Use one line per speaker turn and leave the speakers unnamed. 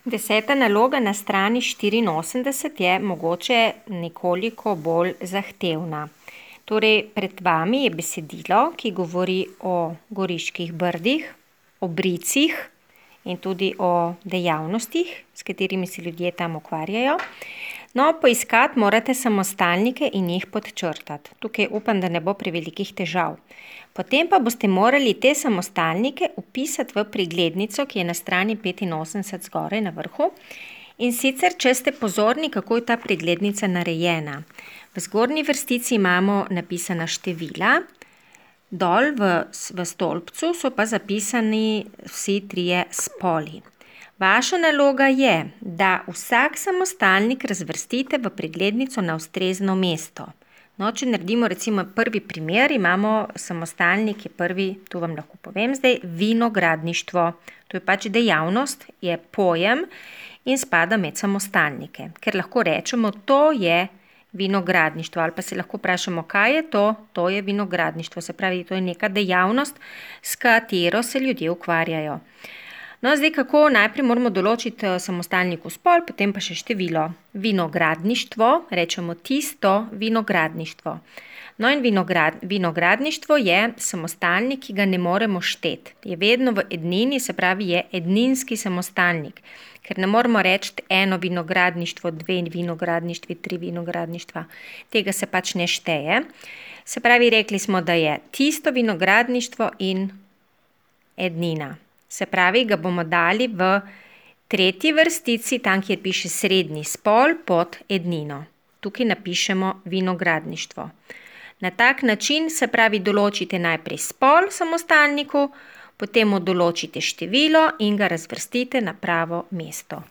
Deseta naloga na strani 84 je mogoče nekoliko bolj zahtevna. Torej, pred vami je besedilo, ki govori o Goriških brdih, o bricih in tudi o dejavnostih, s katerimi se ljudje tam ukvarjajo. No, poiskati morate samostalnike in jih podčrtati. Tukaj upam, da ne bo prevelikih težav. Potem pa boste morali te samostalnike vpisati v preglednico, ki je na strani 85 zgoraj na vrhu. In sicer, če ste pozorni, kako je ta preglednica narejena. V zgornji vrstici imamo napisana števila, dol v stolpcu so pa zapisani vsi trije spoli. Vaša naloga je, da vsak samostalnik razvrstite v preglednico na ustrezno mesto. No, če naredimo recimo prvi primer, imamo samostalnik, je prvi, tu vam lahko povem zdaj, vinogradništvo. To je pač dejavnost, je pojem in spada med samostalnike. Ker lahko rečemo, to je vinogradništvo, ali pa se lahko vprašamo, kaj je to? To je vinogradništvo, se pravi, to je neka dejavnost, s katero se ljudje ukvarjajo. No, zdaj kako? Najprej moramo določiti samostalniku spol, potem pa še število. Vinogradništvo, rečemo tisto vinogradništvo. No in vinogradništvo je samostalnik, ki ga ne moremo šteti. Je vedno v ednini, se pravi, je edninski samostalnik. Ker ne moramo reči eno vinogradništvo, dve vinogradništvi, tri vinogradništva. Tega se pač ne šteje. Se pravi, rekli smo, da je tisto vinogradništvo in ednina. Se pravi, ga bomo dali v tretji vrstici, tam, kjer piše srednji spol, pod ednino. Tukaj napišemo vinogradništvo. Na tak način, se pravi, določite najprej spol samostalniku, potem mu določite število in ga razvrstite na pravo mesto.